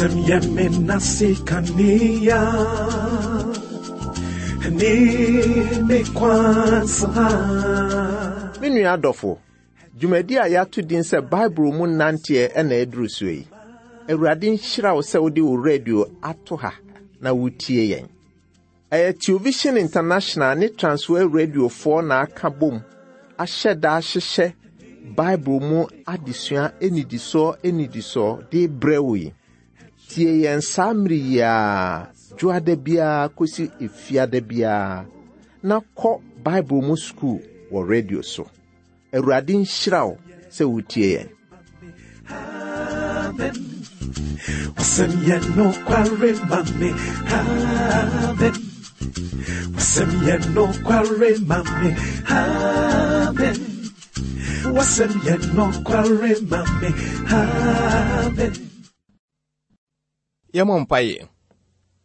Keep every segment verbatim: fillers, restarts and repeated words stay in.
Wasɛm yɛ me nase kanea ne me kwan so ha. Me nua adɔfo, dwumadi a yɛato din sɛ Bible mu nanteɛ ɛna ɛduru so yi. Awurade nhyira wo sɛ wode wo radio ato ha na wotie yɛn. Ɛyɛ Television International ne Transworld Radiofoɔ na aka bom ahyɛ da ahyehyɛ Bible mu adesua anidisoɔ anidisoɔ de brɛ wo yi. Tie yɛn saa mmere yi ara, dwoada biara kɔsi efiada biara, na kɔ Bible mu sukuu wɔ radio so. Awurade nhyira wo sɛ wotie yɛn. Amen. Wasɛm yɛ nokware ma me. Amen. Wasɛm yɛ nokware ma me. Amen. Wasɛm yɛ nokware ma me. Amen. Yɛmmɔ mpaeɛ.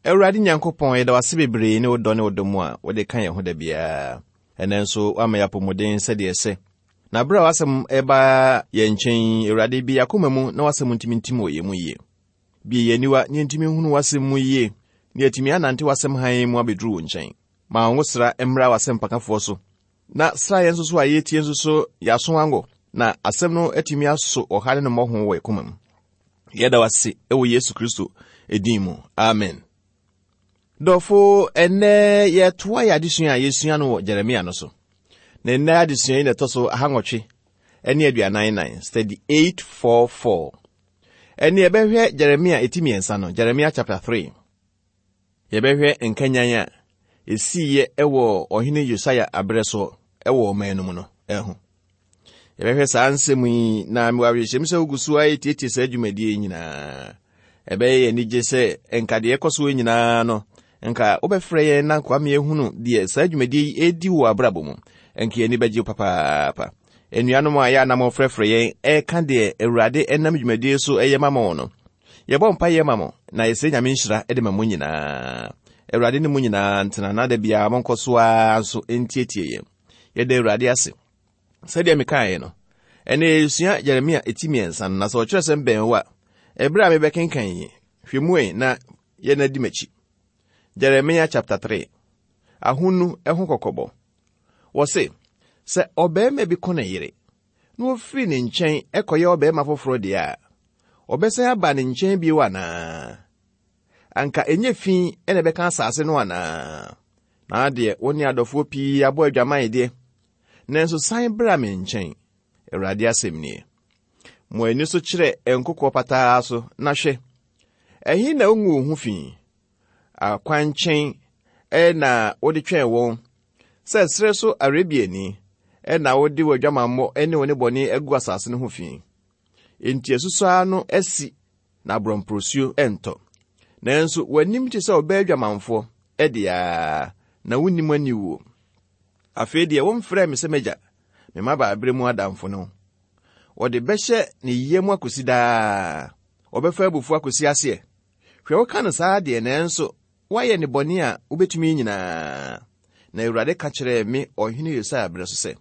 Awurade Nyankopɔn, yɛda wo ase bebree ne wo dɔ ne wo dɔ mu a wode ka yɛn ho da biara. Ɛnɛ nso woama yɛ apɔmuden sɛdeɛ ɛsɛ. Na berɛ a w'asɛm ɛba yɛn nkyɛn, Awurade, bi akoma mu na w'asɛm ntumi ntim wɔ yɛn mu yie. Bie yɛn aniwa ne yɛntumi nhunu w'asɛm mu yie, na yɛatumi anante w'asɛm hann mu abɛduru wo nkyɛn. Ma wo sra mmra w'asɛmpakafoɔ so. Na sra yɛn nso so a yɛtie nso so yɛaso ango, na asɛm no atumi aso ɔha ne ne mmɔho wɔ yɛn koma mu. Yɛda wo ase ɛwɔ Yesu Kristo edin mu. Amen. Dɔfo, ɛnnɛ yɛtoa yɛ adesua a yɛsua no wɔ Jeremia no so. Na ɛnnɛ adesua yi na ɛtɔ so ahanwɔtwe ne aduanan nan, study eight four four. Ɛne yɛbɛhwɛ Jeremia eti mmiɛnsa no, Jeremia chapter three. Yɛbɛhwɛ nkanyan a esiiɛ ɛwɔ ɔhene Yosia aberɛ so ɛwɔ ɔman no mu no ɛho. Yɛbɛhwɛ saa nsɛm yi na mewɔ awerɛhyɛm sɛ wogu so a yɛtietie saa dwumadie yi nyinaa. Ɛbɛyɛ yɛn anigye sɛ nka deɛ ɛkɔ so nyinaa no, nka wobɛfrɛ yɛn na nkoa ma yɛhunu deɛ saa dwumadie yi ɛdi wɔ abrabɔ mu. Nka yɛn ani bɛgye papaapa. Anuanom a yɛ anam frɛfrɛ yɛn ɛka deɛ Awurade ɛnam dwumadie so ɛyɛ ma mo no, yɛbɔ mpaeɛ ma mo na yɛsrɛ Nyame nhyira de ma mo nyinaa. Awurade ne mo nyinaa ntena na da biara monkɔ so ara nso ntietie yɛn. Yɛda Awurade ase. Sɛdeɛ mekaeɛ no, ɛnɛ yɛsua Jeremia eti mmiɛnsa no, na sɛ ɔkyerɛ sɛm bɛn wo a, ɛberɛ a mebɛkenkan yi, hwɛ mu ɛ na yɛn adi m'akyi. Jeremia chapter three. Ahonu ɛho kɔkɔbɔ. Wɔse, sɛ ɔbarima bi ko ne yere, na ofiri ne nkyɛn ɛkɔyɛ ɔbarima foforɔ deɛ a, ɔbɛsan aba ne nkyɛn bio anaa? Anka ɛnyɛ fi ɛna ɛbɛka asase no anaa? Na adeɛ, wo ne adɔfoɔ pii abɔ adwaman deɛ, nanso san bra me nkyɛn. Awurade asɛm nie. Mo ani so kyerɛ nkokoɔ pataa so, na hwɛ, ɛhe na wongu wo ho fi? Akwankyɛn ɛna wode twɛn wɔn, sɛ serɛ so Arabiani ɛna wode w'adwamammɔ ne wo nnebɔne agu asase no ho fi. Enti asusɔ ano asi na aborɔmporɔsuo ɛntɔ. Nanso w'anim te sɛ ɔbaa adwamanfoɔ ɛde a, na wonnim aniwuo. Afei deɛ wɔmfrɛɛ me sɛ m'agya, me mmabaaberɛ mu adamfo no. Wɔde bɛhyɛ ne yam akɔsi daa. Wɔbɛfa abufuo akɔsi aseɛ. Hwɛ, woka no saa deɛ, nanso woayɛ ne bɔne a wobɛtumi nyinaa. Na Awurade ka kyerɛɛ me ɔhene Yosia berɛ so sɛ,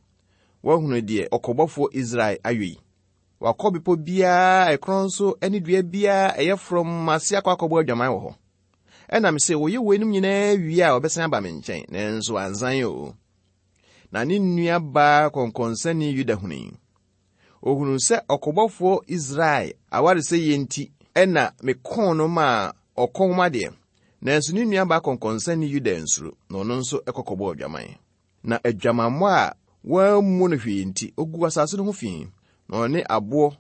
woahunu deɛ ɔkɔbɔfoɔ Israel ayɔ yi. Wakɔ bepɔ biara a ɛkorɔn so ne dua biara a ɛyɛ frɔmm ase akɔ akɔbɔ adwaman wɔ hɔ. Ɛna me sɛ, wɔyɛ weinom nyinaa wie a wɔbɛsan aba me nkyɛn, nanso ansan o. Na ne nua baa kɔnkɔnsani Yuda hunui. Ohunuu sɛ ɔkɔbɔfoɔ Israel awaresɛeɛ nti ɛna mekɔɔ no maa ɔkɔm adeɛ. Nanso ne nua baa kɔnkɔnsani Yuda nsuro, na ɔno nso ɛkɔkɔbɔɔ adwaman. Na adwamammɔ a wɔammu no hwee nti, ogu asase no ho fi, na ɔne aboɔ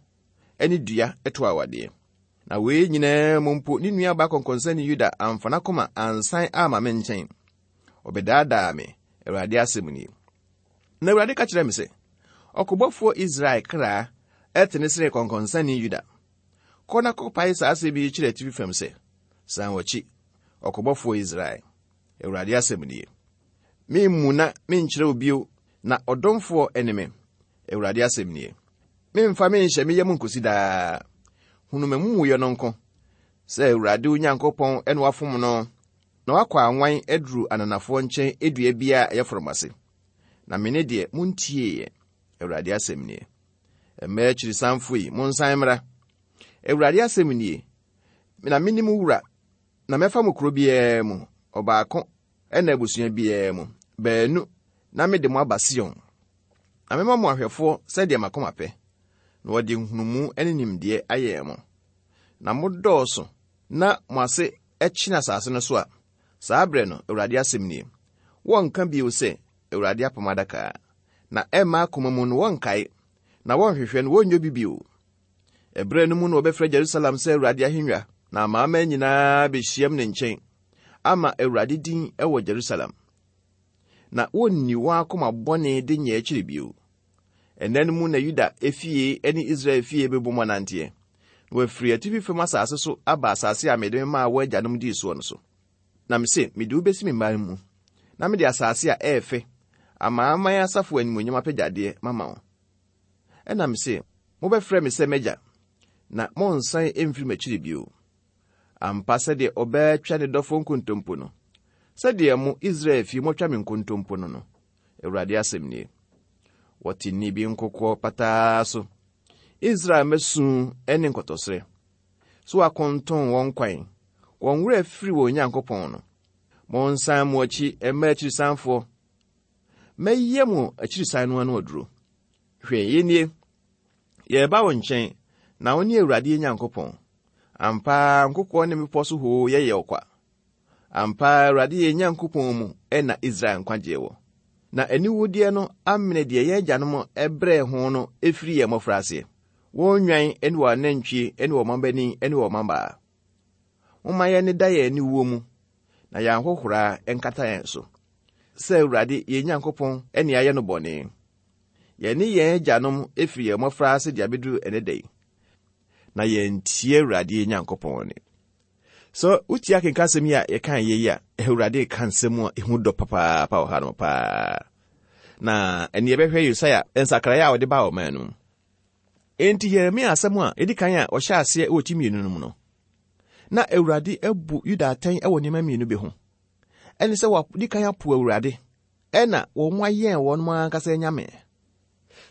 ne dua to awadeɛ. Na wei nyinaa mu mpo, ne nua baa kɔnkɔnsani Yuda amfa n'akoma ansan amma me nkyɛn. Ɔbɛdaadaa me, Awurade asɛm nie. Na Awurade ka kyerɛɛ me sɛ, ɔkobɔfoɔ Israel kra ɛtene sene kɔnkɔnsani Yuda. Kɔ na kɔpae saa asɛm yi kyerɛ atifi fam sɛ, san w'akyi, ɔkobɔfoɔ Israel. Awurade asɛm nie. Memmu na menkyerɛ wo bio, na ɔdomfoɔ ne me. Awurade asɛm nie. Memfa menhyɛ me yam nkosi daa. Hunu m'amumuyɛ no nko, sɛ Awurade wo Nyankopɔn ɛna wafom no, na wakɔ anwan aduru ananafoɔ nkyɛn edua biara a ɛyɛ frɔmm ase. Na me ne deɛ montieeɛ. Awurade asɛm nie. Mmaa akyirisanfo yi, monsan mmra. Awurade asɛm nie. Na mene mo wura, na mɛfa mo kuro biara mu, ɔbaako ɛna abusua biara mu, baanu, na mede mo aba Sion. Na mɛma mo ahwɛfoɔ sɛdeɛ m'akoma pɛ, na wɔde nhunumu ne nimdeɛ ayɛ mo. Na modɔɔso na mo ase kyene asase no so a, saa berɛ no, Awurade asɛm nie, wɔnka bio sɛ, Awurade apam adaka. Na ɛmma akoma mu no wɔnkae, na wɔnhwehwɛ no wɔnnyɛ bi bio. Ɛberɛ no mu na wɔbɛfrɛ Jerusalem sɛ Awurade ahengua, na amanaman nyinaa bɛhyiam ne nkyɛn ama Awurade din wɔ Jerusalem. Na wonni wɔn akoma bɔne de nyɛ akyiri bio. Ɛnna no mu na Yuda efie ne Israel fie bɛbɔ mu ananteɛ, na wɔafiri atifi fam asase so aba asase a mede maa wɔn agyanom dii soɔ no so. Na mese, mede wo besi me mman mu, na mede asase a ɛyɛ fɛ, amanaman asafo animuonyam apɛgyadeɛ mama wo. Ɛna mese, mobɛfrɛ me sɛ m'agya, na monnsan mfiri m'akyiri bio. Ampa sɛdeɛ ɔbaa twa ne dɔfo nkontompo no, sɛdeɛ mo Israel fie motwa me nkontompo no no, Awurade asɛm nie. Wɔte nne bi nkokoɔ pataa so. Israel mmasu ne nkotɔsrɛ. So wɔakonton wɔn kwan, wɔn werɛ afiri wɔn Nyankopɔn no. Monsan mo akyi mma akyirisanfoɔ. Mɛyɛ mo akyirisan no ano aduro. Hwɛ, yɛn yɛreba wo nkyɛn, na wo ne Awurade yɛn Nyankopɔn. Ampa ara nkokoɔ ne mmepɔ so hoo yɛyɛ ɔkwa. Ampa ara Awurade yɛn Nyankopɔn mu ɛna Israel nkwagyeɛ wɔ. Na aniwudeɛ no amene deɛ yɛn agyanom brɛɛ ho no ɛfiri yɛn mmɔfraseɛ. Wɔn nnwan ne wɔn anantwie ne wɔn mmabanin ne wɔn mmabaa. Momma yɛnneda yɛn aniwuo mu, na yɛn ahohora nkata yɛn so. Sɛ Awurade yɛn Nyankopɔn ne ayɛ no bɔne. Yɛne yɛn agyanom ɛfiri yɛn mmɔfraase de abɛduru ɛnɛ da yi. Na yɛntie Awurade yɛn Nyankopɔn ne. So wotie akenka asɛm yi a yɛka yɛ yi a, Awurade ka nsɛm a ɛhu dɔ papaapa wɔ ha no paa. Na ɛne yɛbɛhwɛ Yesaia nsakraeɛ a ɔde baa ɔman no mu. Enti Yeremia asɛm a ɛdi kan a ɔhyɛ aseɛ wɔ ti mmienu no mu no, na Awurade abu Yuda atɛn wɔ nneɛma mmienu bi ho. Ɛne sɛ wɔdi kan apo Awurade, ɛna wɔn ayɛn wɔn ankasa anyame.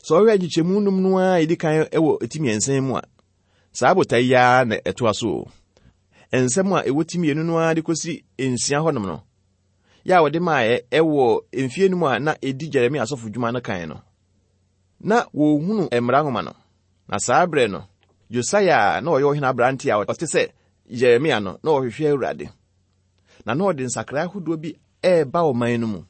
Sɛ ɔhwɛ nkyekyɛmu num no a ɛdi kan wɔ ti mmiɛnsa mu a, saa botae yi ara na ɛtoa so o. Nsɛm a ɛwɔ ti mmienu no ara de kɔsi nsia hɔnom no, yɛ a wɔde maaɛ ɛwɔ mfie no mu a na ɛdi Jeremia asɔfo dwuma no kan no, na wɔhunu mmara nwoma no. Na saa berɛ no, Yosaia a na ɔyɛ ɔhene aberante a ɔte sɛ Jeremia no, na ɔhwehwɛ Awurade. Na na ɔde nsakrae ahodoɔ bi ɛreba ɔman no mu.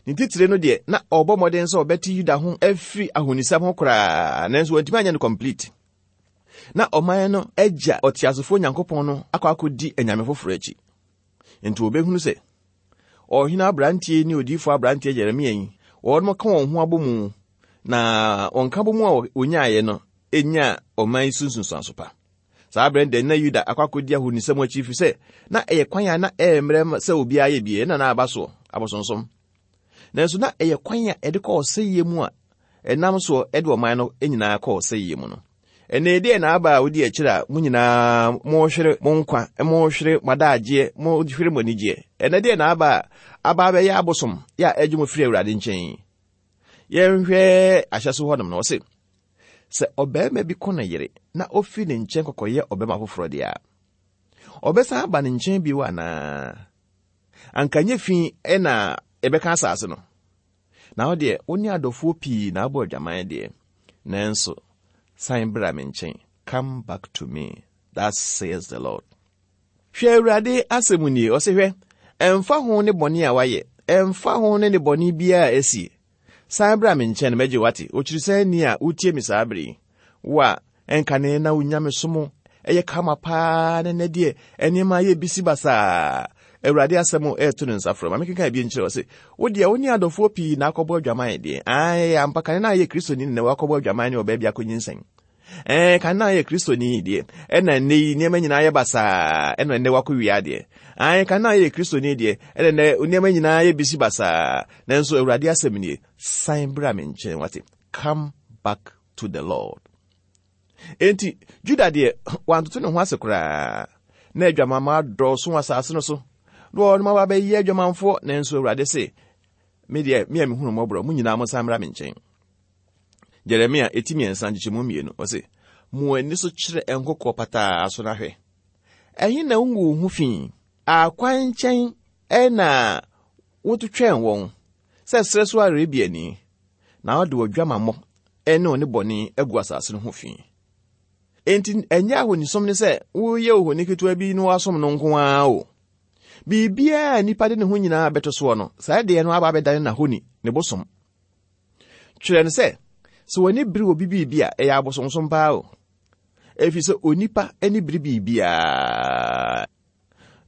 Ne titire no deɛ, na ɔrebɔ mmɔden sɛ ɔbɛte Yuda ho afiri ahonisɛm ho koraa, nanso wantumi anyɛ no complete. Na ɔman no agya ɔteasefoɔ Nyankopɔn no akɔ akɔdi anyame foforɔ akyi. Nti wɔbɛhunu sɛ, ɔhene aberanteɛ ne odiyifoɔ aberanteɛ Jeremia yi, wɔn ka wɔn ho abɔ mu, na wɔn ka bɔ mu a wɔnyaeɛ no, ɛnya ɔman yi so nsunsuanso pa. Saa berɛ no na Yuda akɔ akɔdi ahonisɛm akyi firi sɛ, na ɛyɛ kwan a na ɛyɛ mmerɛ sɛ obiara yɛ bie, ɛna na aba soɔ, abosonsom. Nanso na ɛyɛ kwan a ɛde kɔ ɔsɛeɛ mu a ɛnam soɔ ɛde ɔman no nyinaa kɔ ɔsɛeɛ mu no. Ɛnna ɛdeɛ na aba a wodi akyire a mo nyinaa mohwere mo nkwa, mohwere mo adagyeɛ, mohwere mo anigyeɛ. Ɛnna deɛ na aba a aba abɛyɛ abosom yɛ a ɛgye mo firi Awurade nkyɛn. Yɛnhwɛ ahyɛ so hɔnom no, ɔse, sɛ ɔbarima bi kɔ ne yere na ofi ne nkyɛn kɔkɔyɛ ɔbarima foforɔ deɛ a, ɔbɛsan aba ne nkyɛn bio anaa? Anka nyɛ fi ɛna ɛbɛka asase no. Na wo deɛ, wo ne adɔfoɔ pii na abɔ adwaman deɛ. Nanso, san bra me nkyɛn. Come back to me. That says the Lord. Hwɛ Awurade asɛm nie, ɔse hwɛ, ɛmfa ho ne bɔne a wayɛ, ɛmfa ho ne ne bɔne biara a asie. San bra me nkyɛn mɛgye wate. Okyirisan ni a wotie me saa bere yi. Wo a ɛnkane na wo nyame som ɛyɛ kama paa ne nnɛ deɛ nneɛma ayɛ bisi basaa. Awurade asɛm ɛɛto ne nsa frɛ ma mekenka bi nkyerɛ ɔse, wo deɛ wo ne adɔfoɔ pii na akɔbɔ adwaman deɛ. Ae, ampa kane na ayɛ Kristoni ne wakɔbɔ adwaman ne ɔbaa bi akɔnyinsɛn. Ɛɛ, kane na ayɛ Kristoni deɛ, ɛna nnɛ yi nneɛma nyinaa yɛ basaa, ɛna nnɛ wakɔ wia deɛ. Ae, kane na ayɛ Kristoni deɛ, ɛna nnɛ nneɛma nyinaa yɛ bisi basaa. Nanso Awurade asɛm nie, san bra me nkyɛn wate. Come back to the Lord. Enti, Juda deɛ, wantoto ne ho ase koraa. Na adwamamma adɔɔso wɔ asase no so. Na wɔn aba bɛyɛ adwamanfoɔ, nanso Awurade se, me deɛ, me a mehunu mmɔborɔ, mo nyinaa monsan mmra me nkyɛn. Jeremia eti mmiɛnsa nkyekyɛmu mmienu, ɔse, mo ani so kyerɛ nkokoɔ pataa so na hwɛ. Ɛhe na wongu wo ho fi? Akwan nkyɛn ɛna wotwetwɛn wɔn sɛ serɛ so Arabiani, na wode w'adwamammɔ ɛne wo ne bɔne agu asase no ho fi. Enti ɛnyɛ ahonisom ne sɛ woyɛ ohoni ketewa bi na woasom no nko ara o. Biribiara a nnipa de ne ho nyinaa bɛto soɔ no, saa deɛ no aba abɛdane n'ahoni, ne bosom. Twerɛ no sɛ, sɛ w'ani bere obi biribi a, ɛyɛ abosonsom paa o. Ɛfiri sɛ onipa ani bere biribiara.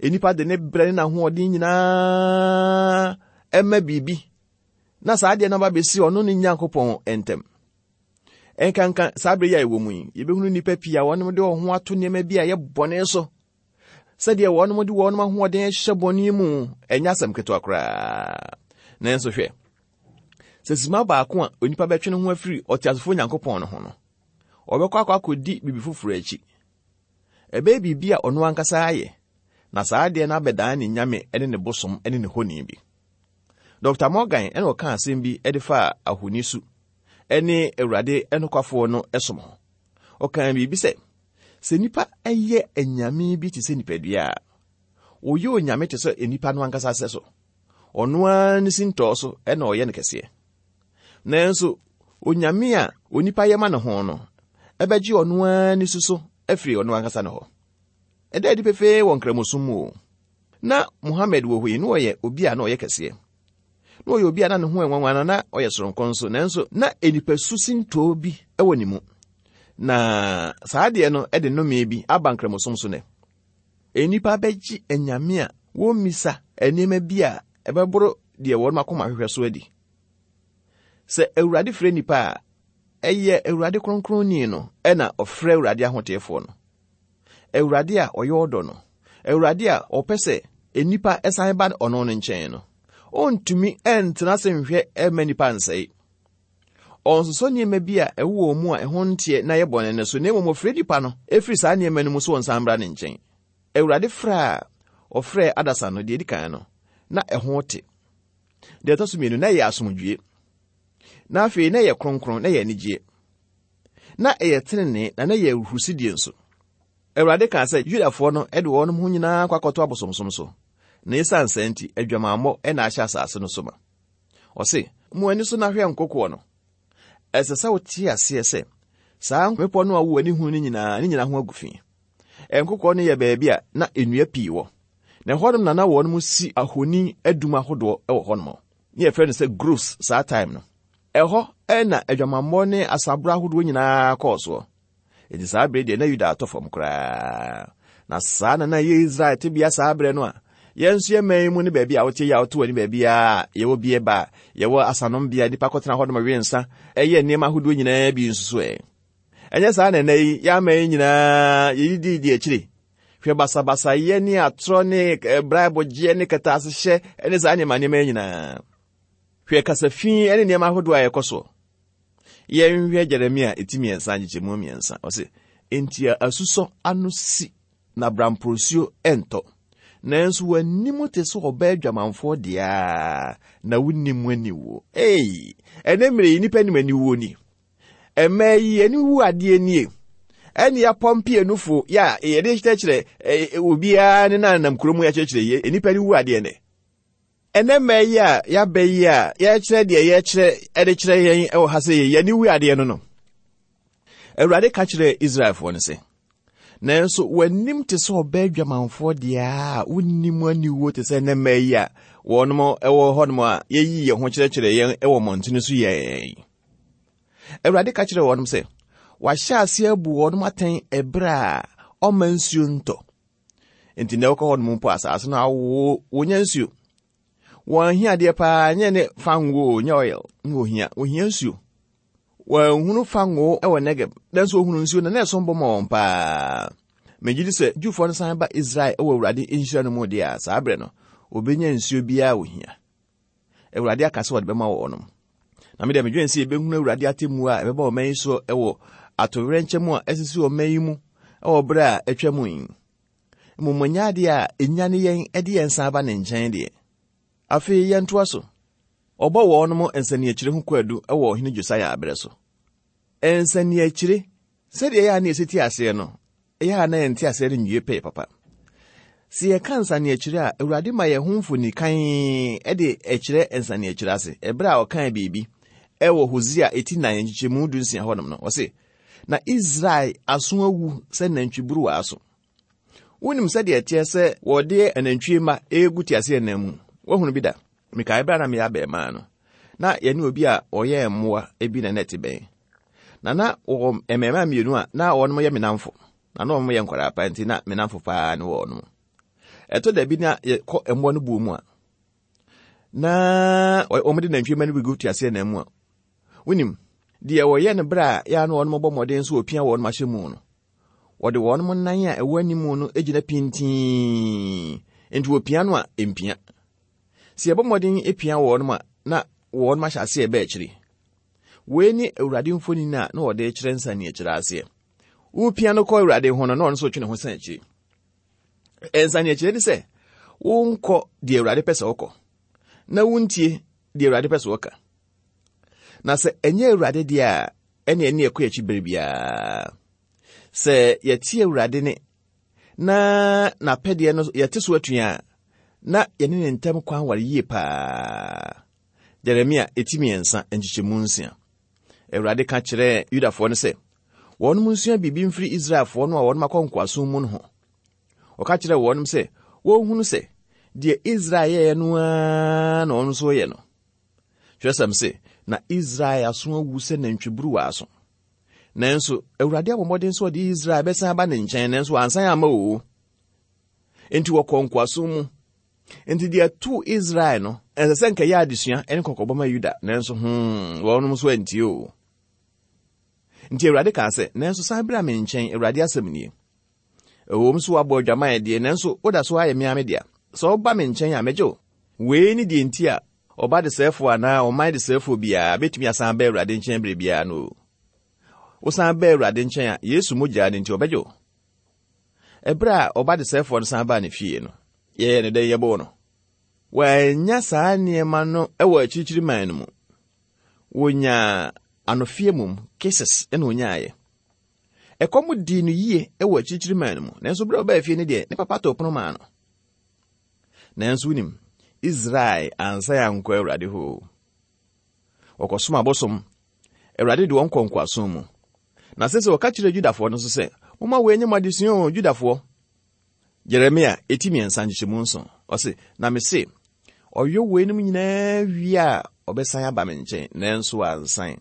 Onipa de ne brɛ ne n'ahoɔden nyinaa ɛma biribi, na saa adeɛ no aba bɛsi ɔno ne Nyankopɔn ntam. Ɛnkanka saa bere yi a ɛwɔ mu yi, yɛbɛhunu nnipa pii a wɔnom de wɔn ho ato nneɛma bi a ɛyɛ bɔne so. Sɛdeɛ wɔnom de wɔnom ahoɔden hyɛ bɔne mu, ɛnyɛ asɛm ketewa koraa. Nanso hwɛ, sɛ sima baako a onipa bɛtwe ne ho afiri ɔteasefoɔ Nyankopɔn no ho no, ɔbɛkɔ akɔ akɔdi biribi foforɔ akyi. Ɛbɛyɛ biribi a ɔno ankasa ayɛ, na saa adeɛ no abɛdan ne nyame ne ne bosom ne ne honi bi. Doctor Morgan ɛna ɔka asɛm bi de faa ahoni su ne Awurade nokwafoɔ no som ho. Ɔkaa biribi sɛ, sɛ nnipa yɛ anyame bi te sɛ nipadua a, ɔyɛ onyame te sɛ nnipa no ankasa sɛ so. Ɔno ara ne sintɔɔ so ɛna ɔyɛ no kɛseɛ. Nanso, onyame a onipa yɛ ma ne ho no, ɛbɛgye ɔno ara ne su so afiri ɔno ankasa ne hɔ. Ɛda adi pefee wɔ nkramosom mu o. Na Muhammad wɔ hɔ yi, na ɔyɛ obi a na ɔyɛ kɛseɛ. Na ɔyɛ obi a na ne ho ɛnwanwa na na ɔyɛ soronko nso, nanso na nipasu sintɔɔ bi wɔ ne mu. Na saa adeɛ no de nnome bi aba nkramosom so nɛ. Nnipa bɛgye anyame a wɔmmisa nneɛma bi a ɛbɛboro deɛ wɔn akoma hwehwɛ so adi. Sɛ Awurade frɛ nnipa a, ɛyɛ Awurade kronkronni no ɛna ɔfrɛ Awurade ahoteefoɔ no. Awurade a ɔyɛ ɔdɔ no, Awurade a ɔpɛ sɛ nnipa ɛsan ba ɔno no nkyɛn no, ɔntumi ɛntena ase nhwɛ ɛmma nnipa nsɛe. Ɔnsosɔ nneɛma bi a ɛwɔ wɔn mu a ɛho nteɛ na ɛyɛ bɔne no so, na mmom ɔfrɛ nnipa no ɛfiri saa nneɛma no mu so wɔnsan mmra ne nkyɛn. Awurade frɛ a ɔfrɛ adasa no, deɛ edi kan no, na ɛho te. Deɛ ɛtɔ so mmienu, na ɛyɛ asomdwie. Na afei na ɛyɛ kronkron, na ɛyɛ anigyeɛ. Na ɛyɛ tenenee, na na ɛyɛ ahurusidie nso. Awurade kaa sɛ Yudafoɔ no de wɔn ho nyinaa kɔ akɔto abosomsom so, na esiane saa nti, adwamammɔ na ahyɛ asase no so ma. Ɔse, mo ani so na hwɛ nkokoɔ no. Ɛsɛ sɛ wote aseɛ sɛ saa mmepɔ no a wo ani hu no nyinaa, ne nyinaa ho agu fi. Nkokoɔ no yɛ baabi a na nnua pii wɔ. Na ɛhɔnom na na wɔn si ahoni adum ahodoɔ wɔ hɔnom. Ne yɛfrɛ no sɛ groves saa time no. Ɛhɔ ɛna adwamammɔ ne asaboro ahodoɔ nyinaa kɔɔ soɔ. Enti saa bere deɛ na Yuda atɔ fam koraa. Na saa na na ɛyɛ Israel tebea saa bere no a, yɛn nso yɛ man mu ne baabi a wote yɛ a wote w'ani baabi a yɛwɔ bie ba, yɛwɔ asanom bea, nnipa kɔtena hɔnom we nsa, ɛyɛ nneɛma ahodoɔ nyinaa bi nso so ɛ. Ɛnyɛ saa na ɛnɛ yi, yɛn aman yi nyinaa yɛdidi di akyire. Hwɛ basabasayɛ ne atorɔ ne brabɔgyeɛ ne kɛtɛasehyɛ ne saa nneɛma nneɛma nyinaa. Hwɛ kasafi ne nneɛma ahodoɔ a ɛkɔ soɔ. Yɛnhwɛ Jeremia eti mmiɛnsa nkyekyɛmu mmiɛnsa. Ɔse, enti asusɔ ano si na bramprosuo ɛntɔ. Nanso w'anim te sɛ ɔbaa adwamanfoɔ deɛ na wonnim aniwuo. Ei, ɛnɛ mmerɛ yi nnipa nim aniwuo ni. Ɛmmaa yi aniwu adeɛ nie. Ɛne yɛapɔmpe anufo yɛ a yɛde kyerɛkyerɛ obiara ne nanam kurom yɛkyerɛkyerɛ yi, nnipa aniwu adeɛ nɛ. Ɛnɛ mmaa yi a yɛaba yi a yɛkyerɛ deɛ yɛkyerɛ ɛde kyerɛ yɛn ɛwɔ ha sɛ yɛn aniwu adeɛ no no. Awurade ka kyerɛ Israelfoɔ no sɛ, nanso w'anim te sɛ ɔbaa adwamanfoɔ deɛ a wonnim aniwuo te sɛ ɛnɛ mmaa yi a wɔnom ɛwɔ hɔnom a yɛyi yɛn ho kyerɛkyerɛ yɛn ɛwɔ mmɔntene so yɛn. Awurade ka kyerɛ wɔnom sɛ, wahyɛ ase abu wɔnom atɛn ɛberɛ a ɔma nsuo ntɔ. Enti na ɛwɔkɔ hɔnom mpo asase no awo wonya nsuo. Wɔn ahia adeɛ paa nyɛ ne fango nyɛ oil na ohia, ohia nsuo. Wɔanhunu fango wɔ Negeb, nanso ohunu nsuo na na ɛsom bɔ ma wɔn paa. Megye di sɛ Jewfoɔ no san ba Israel wɔ Awurade nhyira no mu deɛ a, saa berɛ no, obenya nsuo biara a ohia. Awurade aka sɛ ɔde bɛma wɔnom. Na me deɛ medwene sɛ yɛbɛhunu Awurade atemmuo a ɛbɛba ɔman yi so wɔ atowerɛnkyɛm a ɛsisi ɔman yi mu wɔ berɛ a atwa mu yi. Mmom ɛnyɛ adeɛ a ɛnya ne yɛn de yɛn san ba ne nkyɛn deɛ. Afei yɛntoa so. Ɔbɔ wɔnom nsaniakyire ho kwaadu wɔ ɔhene Josia aberɛ so. Nsaniakyire, sɛdeɛ ɛyɛ a na yɛsi te aseɛ no, ɛyɛ a na yɛnte aseɛ no nwie pɛɛ papa. Sɛ yɛka nsaneakyire a, Awurade ma yɛn ho mfoni kan de ɛkyerɛ nsaneakyire ase. Ɛberɛ a ɔkaa biribi ɛwɔ Hosea eti nan nkyekyɛmu du nsia hɔnom no, ɔse, na Israel aso awu sɛ nantwiburuwa aso. Wonim sɛdeɛ ɛteɛ sɛ wɔde anantwie mma egu teaseɛnam mu. Woahunu bi da? Mekae berɛ a na meyɛ abɛɛmaa no, na yɛne obi a ɔyɛ mmoa bi na na ɛte bɛn. Na na wɔwɔ mmarima mmienu a na wɔnom yɛ me namfo. Na na wɔn yɛ nkwadaa pa nti na me namfo paa ne wɔnom. Ɛtɔ da bi na yɛkɔ mmoa no buo mu a, na wɔn de nantwie mma no bi gu teaseɛnam mu a, wonim, deɛ wɔyɛ no berɛ a yɛa na wɔnom bɔ mmɔden so wɔpia wɔnom ahyɛ mu no, wɔde wɔnom nan a ɛwɔ anim no gyina pintinn, nti wɔpia no a ɛmpia. Sɛ yɛbɔ mmɔden pia wɔnom a, na wɔnom ahyɛ aseɛ ɛbɛ akyiri. Wei ne Awurade mfoni a na wɔde kyerɛ nsaneakyire aseɛ. Wopia no kɔ Awurade ho no, na ɔno nso twe ne ho san akyiri. Nsaneakyire ne sɛ, wonkɔ deɛ Awurade pɛ sɛ wokɔ, na wontie deɛ Awurade pɛ sɛ wɔka. Na sɛ ɛnyɛ Awurade deɛ a, ɛne ɛne ɛkɔ akyi bere biara. Sɛ yɛte Awurade ne na n'apɛdeɛ no yɛte so atua a, na yɛne ne ntam kwan ware yie paa. Jeremia eti mmiɛnsa nkyekyɛmu nsia. Awurade ka kyerɛɛ Yudafoɔ no sɛ, wɔnom nsua biribi mfiri Israelfoɔ no a wɔnom akɔ nkoasom mu no ho. Ɔka kyerɛɛ wɔnom sɛ, wɔnhunu sɛ, deɛ Israel yɛeɛ no ara na wɔn nso yɛ no. Twerɛsɛm se, na Israel aso awu sɛ nantwiburuwa aso. Nanso, Awurade abɔ mmɔden sɛ ɔde Israel bɛsan aba ne nkyɛn, nanso wansan amma o. Enti wɔkɔɔ nkoasom mu. Enti deɛ ɛtoo Israel no, ɛsɛ sɛ nka ɛyɛ adesua ne kɔkɔbɔ ma Yuda, nanso hmm, wɔnom nso antie o. Nti Awurade kaa sɛ, nanso san bra me nkyɛn, Awurade asɛm nie. Ɛwom so woabɔ adwaman deɛ, nanso woda so ayɛ me ara me dea. Sɛ woba me nkyɛn a, mɛgye wo. Wei ne deɛ nti a ɔba desɛefoɔ anaa ɔman desɛefoɔ biara bɛtumi asan ba Awurade nkyɛn berɛ biara no. Wosan ba Awurade nkyɛn a, Yesu mogya no nti ɔbɛgye wo. Ɛberɛ a ɔba desɛefoɔ no san baa ne fie no, yɛyɛ ne dɛn yɛbɔɔ no? Wɔannya saa nneɛma no wɔ akyirikyiri man no mu. Wɔnyaa anofie mum, kisses, ɛna ɔnyaeɛ. Ɛkɔm dii no yie wɔ akyirikyiri man no mu, nanso berɛ a ɔbaa fie no deɛ, ne papa too pono maa no. Nanso wonim, Israel ansan ankɔ Awurade hɔ. Wɔkɔsom abosom. Awurade de wɔn kɔ nkoasom mu. Na sɛ sɛ wɔka kyerɛ Yudafoɔ no nso sɛ, momma wɔn anim adesua o, Yudafoɔ. Jeremia eti mmiɛnsa nkyekyɛmu nson. Ɔse, na mese, ɔyɔ weinom nyinaa wie a, ɔbɛsan aba me nkyɛn, nanso wansan.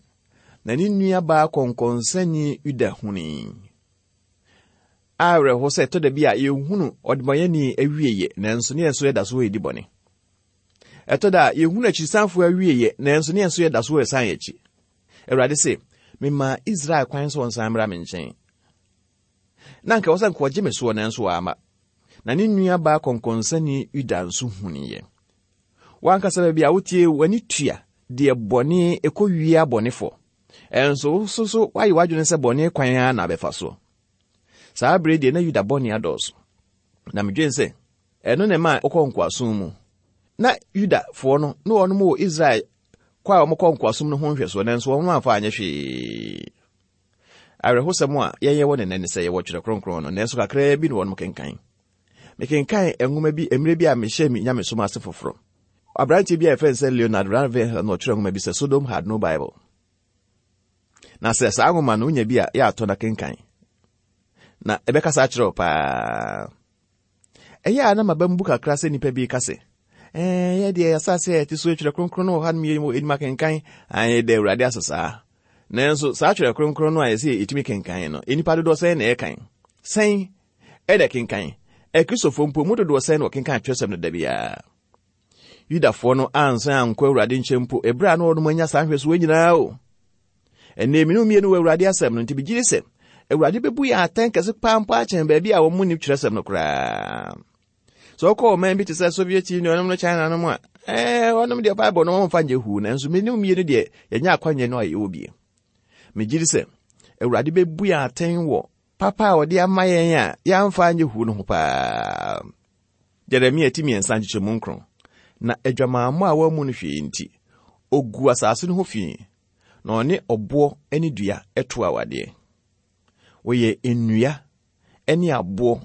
Na ne nua baa kɔnkɔnsani Yuda hunii. Awerɛho sɛ ɛtɔ da bi a yɛhunu ɔdebɔnyɛni awieyɛ, nanso ne yɛn nso yɛda so wɔ yɛdi bɔne. Ɛtɔ da a yɛhunu akyirisanfoɔ awieyɛ, nanso ne yɛn nso yɛda so wɔ yɛsan yɛn akyi. Awurade se, memaa Israel kwan sɛ ɔnsan mmra me nkyɛn. Na anka ɛwɔ sɛ nka ɔgye me soɔ, nanso wamma. Na ne nua baa kɔnkɔnsani Yuda nso huniiɛ. Wankasa baabi a wotie w'ani tua deɛ bɔne ɛkɔ wie abɔnefoɔ. Ɛnso wo nso so woayɛ w'adwene sɛ bɔne kwan ara na abɛfa soɔ. Saa bere deɛ na Yuda bɔne adɔɔso. Na medwene sɛ, ɛno na ɛma ɔkɔ nkoasom mu. Na Yudafoɔ no, na wɔnom wɔ Israel kɔ a wɔkɔ nkoasom no ho nhwɛsoɔ, nanso wɔn amfa anyɛ hwee. Awerɛhosɛm a yɛyɛ wɔ ne nɛ ne sɛ yɛwɔ Twerɛ Kronkron no, nanso kakraa bi na wɔnom kenkan. Mekenkan nwoma bi mmerɛ bi a mehyɛ me nyamesom ase foforɔ. Aberanteɛ bi a yɛfrɛ no sɛ Leonard Ravenhill na ɔtwerɛ nwoma bi sɛ Sodom Had No Bible. Na sɛ saa nwoma no wonya bi a yɛ atɔ na kenkan. Na ɛbɛkasa akyerɛ wo paa. Ɛyɛ a na maba mu bu kakra sɛ nnipa bi ka sɛ, ɛɛ, yɛ deɛ asase a yɛte so Twerɛ Kronkron no wɔ ha nom yɛ anim akenkan, ayɛ dɛ Awurade ase saa. Nanso saa Twerɛ Kronkron no a yɛsɛ yɛtumi kenkan no, nnipa dodoɔ sɛn na ɛkan? Sɛn ɛna kenkan? Akristofoɔ mpo mu dodoɔ sɛn na wɔkenkan twerɛsɛm no da biara? Yudafoɔ no ansan ankɔ Awurade nkyɛn mpo, ɛberɛ a na wɔnom anya saa nhwɛsoɔ nyinaa o. Ɛnnɛ mmienu mmienu wɔ Awurade asɛm no, nti megye di sɛ Awurade bɛbu yɛn atɛn kɛse paa mpo akyɛn baabi a wɔn mu nni twerɛsɛm no koraa. Sɛ wɔkɔ ɔman bi te sɛ Soviet Union no China no mu a, ɛɛ, wɔnom deɛ Bible no wɔmfa nyɛ huu, nanso mmienu mmienu deɛ yɛnya akwanya no a yɛwɔ bie. Megye di sɛ Awurade bɛbu yɛn atɛn wɔ papa a ɔde ama yɛn a yɛamfa anyɛ huu no ho paa. Jeremia ti mmiɛnsa nkyekyɛmu nkron. Na adwamammɔ a wɔammu no hwee nti, ogu asase no ho fi, na ɔne ɔboɔ ne dua to awadeɛ. Wɔyɛ nnua ne aboɔ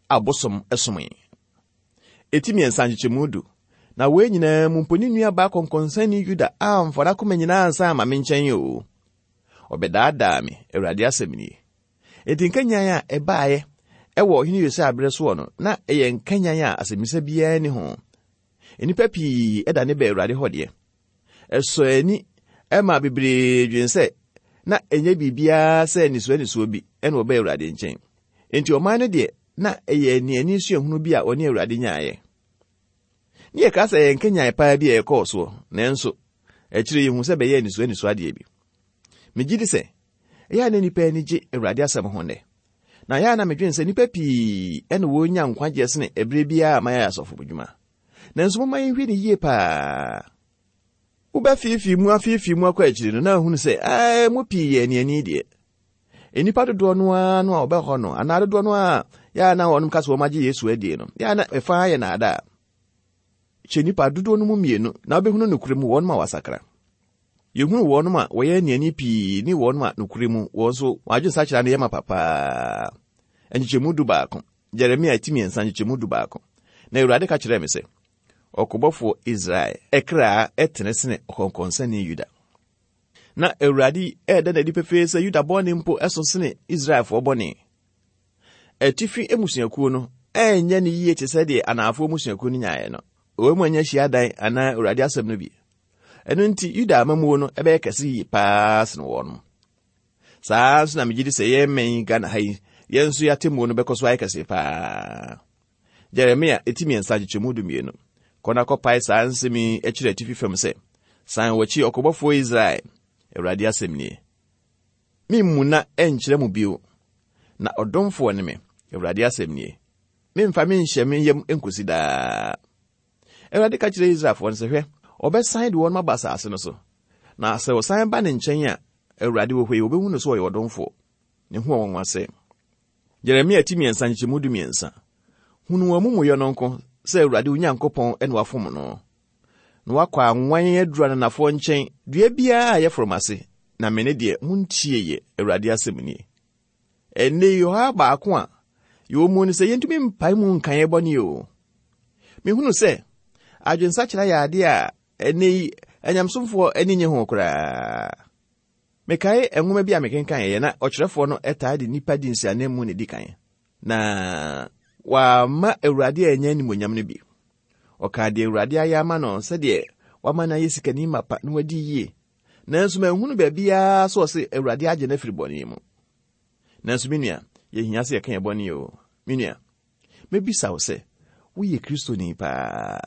a abosom somee. Eti mmiɛnsa nkyekyɛmu du. Na wei nyinaa mu mpo ne nua baa kɔnkɔnsani Yuda amfa n'akoma nyinaa ansan ama me nkyɛn o. Ɔbɛdaadaa me, Awurade asɛm nie. Enti nkanyan a ɛbaeɛ ɛwɔ ɔhene Yosia berɛ soɔ no, na ɛyɛ nkanyan a asɛmmisa biara nni ho. Nnipa pii ɛda ne bɛ Awurade hɔ deɛ. Ɛsɔ ani ɛma bebree dwen sɛ na ɛnyɛ biribiara sɛ anisoɔ anisoɔ bi ɛna ɔbɛ Awurade nkyɛn. Enti ɔman no deɛ, na ɛyɛ aniani suahunu bi a ɔne Awurade nyaeɛ. Ne yɛka sɛ ɛyɛ nkanyan paa bi a ɛkɔɔ soɔ, nanso akyire yɛhu sɛ bɛyɛ anisoɔ anisoɔ adeɛ bi. Megye di sɛ ɛyɛ a na nnipa ani gye Awurade asɛm ho nnɛ. Na ɛyɛ a na medwene sɛ nnipa pii ɛna wɔnya nkwagyeɛ sene ɛberɛ biara a mayɛ asɔfo dwuma. Nanso momma yɛnhwɛ ne yie paa. Wobɛfiifii mu afiifii mu akɔ akyiri no na ahunu sɛ ɛɛ mu pii yɛ aniani deɛ. Nnipa dodoɔ no ara no a wɔbɛhɔ no anaa dodoɔ no a yɛ a na wɔnom ka sɛ wɔn agye Yesu adie no, yɛ a na ɛfa yɛ naadaa. Kyɛ nnipa dodoɔ no mu mmienu na wobɛhunu nokorɛ mu wɔnom a wɔasakra. Yɛhunu wɔnom a wɔyɛ aniani pii ne wɔnom a nokorɛ mu wɔn nso wɔn adwensakyera no yɛ ma papaa. Nkyekyɛmu du baako, Jeremia ti mmiɛnsa nkyekyɛmu du baako. Na Awurade ka kyerɛɛ me sɛ, ɔkobɔfoɔ Israel ɛkraa ɛtene sene ɔkɔnkɔnsani Yuda. Na Awurade ɛɛda n'adi pefee sɛ Yuda bɔne mpo ɛso sene Israelfoɔ bɔne. Atifi mmusuakuo no ɛnyɛ ne yie te sɛ deɛ anaafoɔ mmusuakuo no nyaeɛ no. Wɔn mu anya hyiadan anaa Awurade asɛm no bi. Ɛno nti Yuda amammuo no ɛbɛyɛ kɛse yie paa sene wɔn. Saa nso na megye di sɛ yɛn mmɛn Ghana ha yi, yɛn nso yɛatemmuo no bɛkɔ so ayɛ kɛse paa. Jeremia eti mmiɛnsa nkyekyɛmu du mmienu. Kɔ na kɔpae saa nsɛm yi akyerɛ atifi fam sɛ, san w'akyi ɔkobɔfoɔ Israel, Awurade asɛm nie. Memmu na ɛnkyerɛ mo bio, na ɔdomfoɔ ne me, Awurade asɛm nie. Memfa menhyɛ me yam nkosi daa. Awurade ka kyerɛ Israelfoɔ no sɛ, hwɛ, ɔbɛsan de wɔn aba asase no so. Na sɛ ɔsan ba ne nkyɛn a, Awurade wɔ hɔ yi, wɔbɛhu no sɛ ɔyɛ ɔdomfoɔ. Ne ho ɔnwanwa sɛ. Jeremia ti mmiɛnsa nkyekyɛmu du mmiɛnsa. Hunu wɔn amumuyɛ no nko sɛ Awurade wo Nyankopɔn ɛna wafom no. Na wakɔ anwan aduru ananafoɔ nkyɛn, dua biara a ɛyɛ foromase, na me ne deɛ montie yɛ, Awurade asɛm nie. Ɛnnɛ yi ɔhaw baako a yɛwɔ mu ne sɛ yɛntumi mpae mu nka yɛn bɔne o. Mehunu sɛ adwensakyera yɛ adeɛ a ɛnnɛ yi anyamsomfoɔ ani nye ho koraa. Mekae nwoma bi a mekenkan na ɔkyerɛfoɔ no ɛtaa de nnipa di nsiananmu na edi kan. Na wamma Awurade a ɛnyɛ animuonyam no bi. Ɔkaa deɛ Awurade ayɛ ama no sɛdeɛ wama no ayɛ sikani mapa na wadi yie. Nanso manhunu baabiara sɛ ɔse Awurade agye no afiri bɔne mu. Nanso me nua, yɛhia sɛ yɛka yɛn bɔne o. Me nua, mebisa wo sɛ, woyɛ Kristoni paa?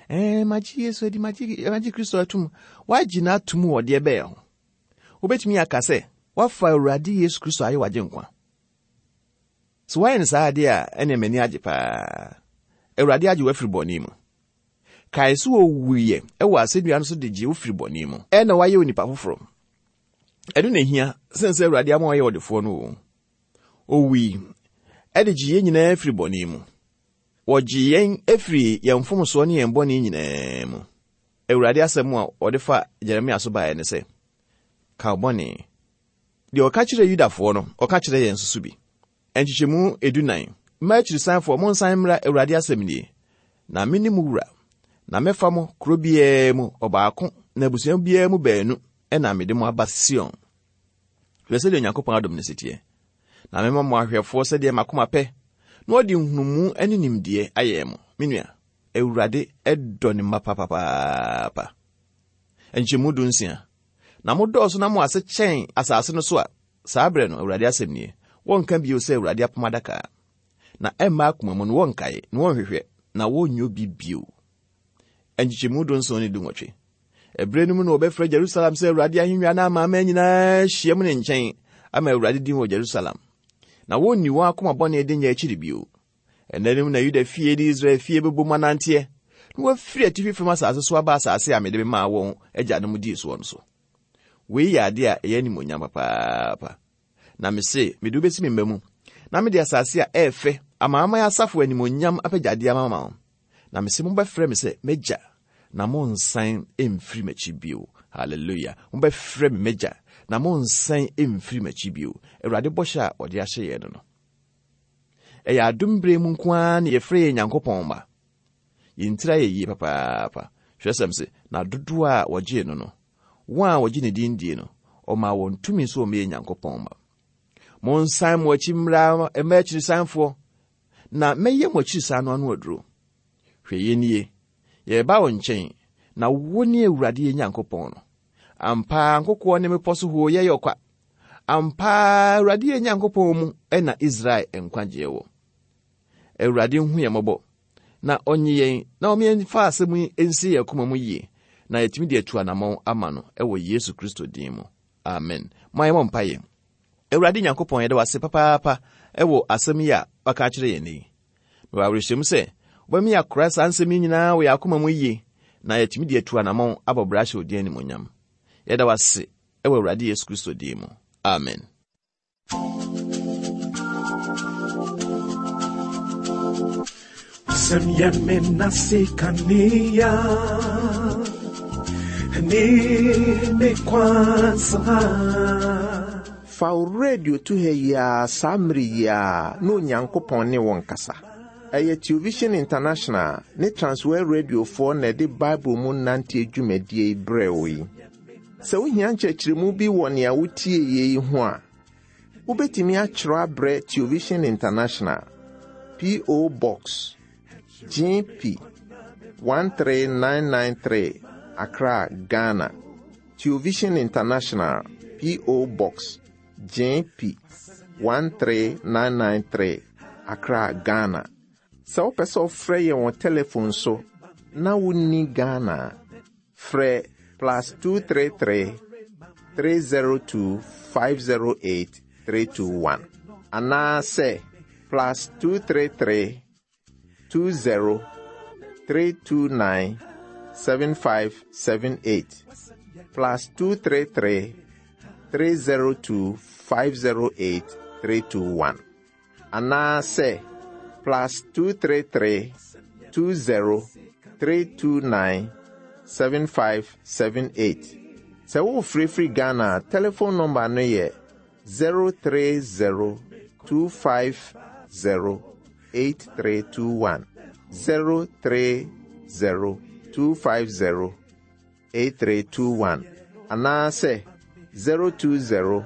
Ɛɛ, magye Yesu adi, magye, magye Kristo atom. Woagye no atom wɔ deɛ bɛyɛ ho. Wobɛtumi aka sɛ, woafa Awurade Yesu Kristo ayɛ w'agye nkwa. Sɛ woayɛ no saa adeɛ a, ɛnneɛ m'ani agye paa. Awurade agye wo afiri bɔne mu. Kae sɛ owuiɛ ɛwɔ asɛnnua no so de gye wo firi bɔne mu. Ɛna woayɛ onipa foforɔ. Ɛno na ehia sen sɛ Awurade ama woayɛ ɔdefoɔ no o. Owui ɛde gye yɛn nyinaa firi bɔne mu. Wɔgye yɛn afiri yɛn mfomsoɔ ne yɛn bɔne nyinaa mu. Awurade asɛm a ɔde fa Jeremia so baeɛ ne sɛ, ka wo bɔne. Deɛ ɔka kyerɛ Yudafoɔ no, ɔka kyerɛ yɛn nso so bi. Nkyekyɛmu edunan. Mma akyirisanfoɔ, monsan mmra Awurade asɛm nie. Na me ne mo wura, na mɛfa mo kuro biara mu ɔbaako na abusua biara mu baanu ɛna mede mo aba Sion. Hwɛ sɛdeɛ Onyankopɔn adom no si teɛ. Na mema mo ahwɛfoɔ sɛdeɛ m'akoma pɛ, na ɔde nhunumu ne nimdeɛ ayɛ mo. Me nua, Awurade ɛdɔ ne mma papapaapa. Nkyɛmu du nsia. Na modɔɔso na mo ase kyɛn asase no so a, saa berɛ no, Awurade asɛm nie, wɔnka bio sɛ Awurade apam adaka. Na ɛmma akoma mu no wɔnkae, na wɔnhwehwɛ, na wɔnyɛ obi bio. Nkyekyɛmu du nson ne du nwɔtwe. Ɛberɛ no mu na wɔbɛfrɛ Jerusalem sɛ Awurade ahennwa na amanaman nyinaa ahyia mu ne nkyɛn ama Awurade din wɔ Jerusalem. Na wɔnni wɔn akoma bɔne de nyɛ akyiri bio. Ɛnna no mu na Yuda fie ne Israel fie bɛbɔ mu ananteɛ, na wɔafiri atifi fam asase so aba asase a mede memaa wɔn agyanom dii soɔ no so. Wei yɛ adeɛ a ɛyɛ animuonyam papaapa. Na mese, mede wo bɛsi me mma mu, na mede asase a ɛyɛ fɛ amanaman asafo animuonyam apɛgyadeɛ ama wo. Na mese mobɛfrɛ me sɛ m'agya, na monsan mfiri m'akyi bio. Hallelujah. Mobɛfrɛ me m'agya, na monsan mfiri m'akyi bio. Awurade bɔhyɛ a ɔde ahyɛ yɛn no no. Ɛyɛ adom berɛ mu nko ara na yɛfrɛ yɛn Nyankopɔn mma. Yɛn tiri ayɛ yie papaapa. Twerɛsɛm se, na dodoɔ a wɔgyee no no, wɔn a wɔgye ne din die no, ɔmaa wɔn tumi sɛ wɔmmɛyɛ Nyankopɔn mma. Monsan mo akyi mmra mma akyirisanfoɔ, na mɛyɛ mo akyirisan no ano aduro. Hwɛ yɛn nie, yɛreba wo nkyɛn, na wo ne Awurade yɛn Nyankopɔn no. Ampa ara nkokoɔ ne mmepɔ so hooyɛ yɛ ɔkwa. Ampa ara Awurade yɛn Nyankopɔn mu na Israel nkwagyeɛ wɔ. Awurade nhu yɛn mmɔbɔ, na ɔnye yɛn na ɔma yɛmfa asɛm yi nsi yɛn akoma mu yie, na yɛtumi de atu anammɔn ama no wɔ Yesu Kristo din mu. Amen. Mo a yɛmmɔ mpaeɛ. Awurade Nyankopɔn, yɛda wo ase papaapa wɔ asɛm yi a waka akyerɛ yɛn yi. Mewɔ awerɛhyɛmu sɛ wobɛma yɛakora saa nsɛm yi nyinaa wɔ yɛn akoma mu yie, na yɛatumi de atu anammɔn abɔ bra ahyɛ wo din animuonyam. Yɛda wo ase wɔ Awurade Yesu Kristo din mu. Amen. Wasɛm yɛ me nase kanea ne me kwansa. Fa wo radio to ha yi ara saa mmere yi ara na Onyankopɔn ne wo nkasa. Ɛyɛ Television International ne Transworld Radiofoɔ na ɛde Bible mu nanteɛ dwumadie yi brɛɛ wo yi. Sɛ wohia nkyerɛkyerɛmu bi wɔ nea wotie yi ho a, wobɛtumi akyerɛw abrɛ Television International, P O Box G P one three nine nine three, Accra, Ghana. Television International, P O Box G P one three nine nine three, Accra, Ghana. Sɛ wopɛ sɛ wofrɛ yɛn wɔ telephone so na wonni Ghana a, frɛ plus two three three, three zero two, five zero eight, three two one. Anaasɛ plus two three three, two zero, three two nine, seven five seven eight. Plus two three three, three zero two, five zero eight, three two one. Anaasɛ plus two three three, two zero, three two nine, seven five seven eight. Sɛ wofirifiri Ghana a, telephone number no yɛ zero three zero, two five zero, eight three two one. zero three zero, two five zero, eight three two one. Anaasɛ zero two zero,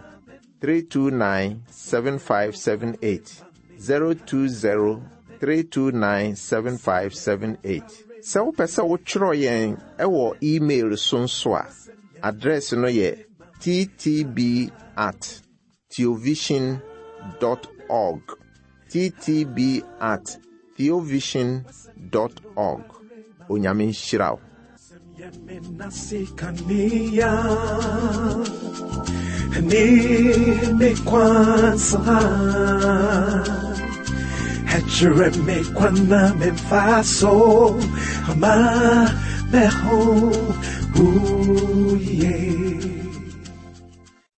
three two nine, seven five seven eight. zero two zero, three two nine, seven five seven eight. Sɛ wopɛ sɛ wotwerɛ yɛn wɔ email so nso a, address no yɛ t t b at theovision dot org. t t b at theovision dot org. Onyame nhyira wo. Ne me kwansa. Ɛkyerɛ me kwan na memfa so, ama me ho, ooh, yeah.